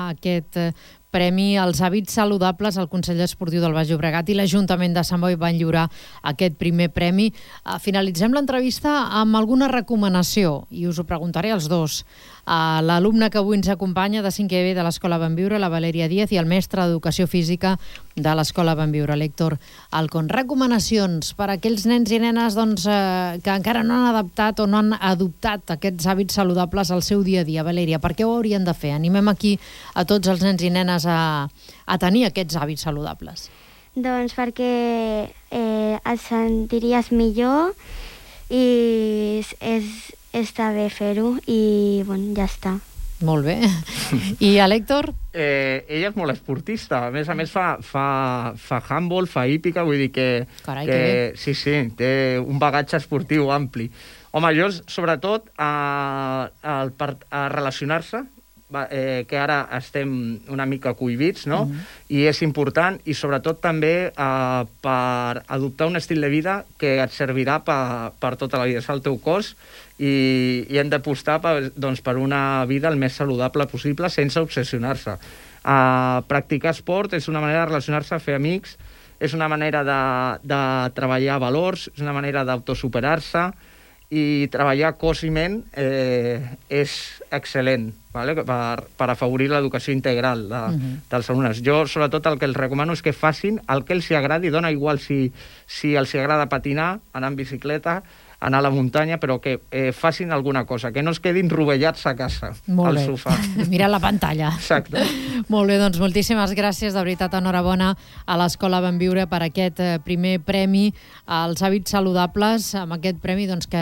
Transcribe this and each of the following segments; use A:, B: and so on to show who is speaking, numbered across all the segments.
A: aquest premi als hàbits saludables. El Consell Esportiu del Baix Llobregat i l'Ajuntament de Sant Boi van lliurar aquest primer premi. Finalitzem l'entrevista amb alguna recomanació i us ho preguntaré als dos. L'alumne que avui ens acompanya de 5è B de l'Escola Benviure, la Valèria Díaz, i el mestre d'Educació Física de l'Escola Benviure, l'Héctor Alcón. Recomanacions per a aquells nens i nenes que encara no han adaptat o no han adoptat aquests hàbits saludables al seu dia a dia. Valèria, per què ho haurien de fer? Animem aquí a tots els nens i nenes a tenir aquests hàbits saludables.
B: Doncs perquè et sentiries millor i està bé fer-ho i ja està.
A: Molt bé. I a l'Héctor?
C: Ella és molt esportista. A més, fa handball, fa hípica, vull dir que...
A: Carai, que bé.
C: Sí, té un bagatge esportiu ampli. Home, jo, sobretot, a relacionar-se, que ara estem una mica cohibits, no? I és important, i sobretot també per adoptar un estil de vida que et servirà per tota la vida. És el teu cos i hem d'apostar per una vida el més saludable possible sense obsessionar-se. Practicar esport és una manera de relacionar-se, fer amics, és una manera de treballar valors, és una manera d'autosuperar-se, i treballar cos i ment és excel·lent, vale? Per afavorir l'educació integral dels alumnes. Jo, sobretot, el que els recomano és que facin el que els agradi, dona igual si els agrada patinar, anar en bicicleta, anar a la muntanya, però que facin alguna cosa, que no es quedin rovellats a casa, al sofà.
A: Mira la pantalla.
C: Exacte.
A: Molt bé, doncs moltíssimes gràcies, de veritat, enhorabona a l'Escola Benviure per aquest primer premi als hàbits saludables, amb aquest premi que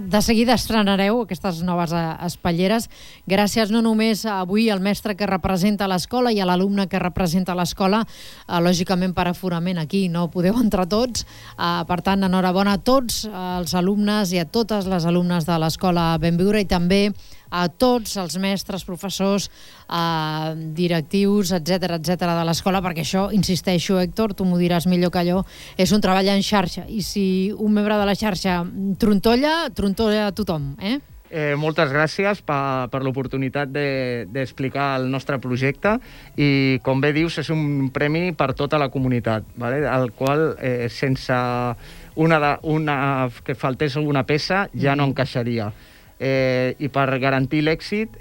A: de seguida estrenareu, aquestes noves espatlleres. Gràcies no només avui al mestre que representa l'escola i a l'alumne que representa l'escola, lògicament per aforament aquí no podeu entrar tots, per tant, enhorabona a tots els alumnes i a totes les alumnes de l'Escola Benviure i també a tots els mestres, professors, directius, etc de l'escola, perquè això, insisteixo, Héctor, tu m'ho diràs millor que allò, és un treball en xarxa, i si un membre de la xarxa trontolla a tothom,
C: Moltes gràcies per l'oportunitat d'explicar el nostre projecte i, com bé dius, és un premi per tota la comunitat, vale? El qual, sense que faltés alguna peça, ja no encaixaria. I per garantir l'èxit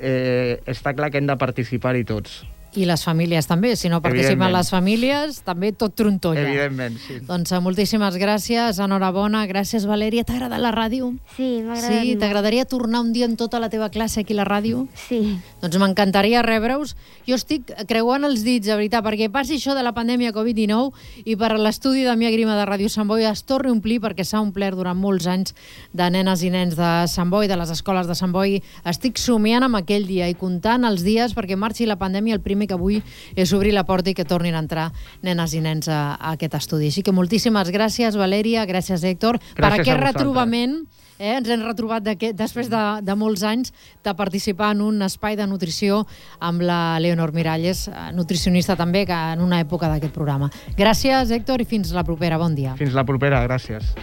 C: està clar que hem de participar-hi tots.
A: I les famílies també, si no participen les famílies, també tot trontolla.
C: Evidentment, sí.
A: Doncs moltíssimes gràcies, enhorabona. Gràcies, Valèria. T'ha agradat la ràdio?
B: Sí, m'ha agradat molt.
A: T'agradaria tornar un dia amb tota la teva classe aquí a la ràdio?
B: Sí.
A: Doncs m'encantaria rebre-us. Jo estic creuant els dits, de veritat, perquè passi això de la pandèmia Covid-19 i per l'estudi de Mia Grima de Ràdio Sant Boi es torni a omplir, perquè s'ha omplert durant molts anys de nenes i nens de Sant Boi, de les escoles de Sant Boi. Estic somiant amb aquell dia i comptant els dies perquè marxi la pandèmia. El primer que vull és obrir la porta i que tornin a entrar nenes i nens a aquest estudi. Així que moltíssimes gràcies, Valèria, gràcies, Héctor, per aquest retrobament. Ens hem retrobat després de molts anys de participar en un espai de nutrició amb la Leonor Miralles, nutricionista també, que en una època d'aquest programa. Gràcies, Héctor, i fins la propera. Bon dia.
C: Fins la propera, gràcies.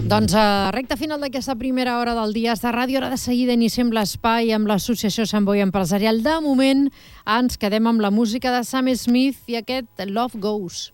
A: Doncs a recta final d'aquesta primera hora del Dies de Ràdio, ara de seguida iniciem l'espai amb l'Associació Sant Boi Empresarial. De moment ens quedem amb la música de Sam Smith i aquest Love Goes.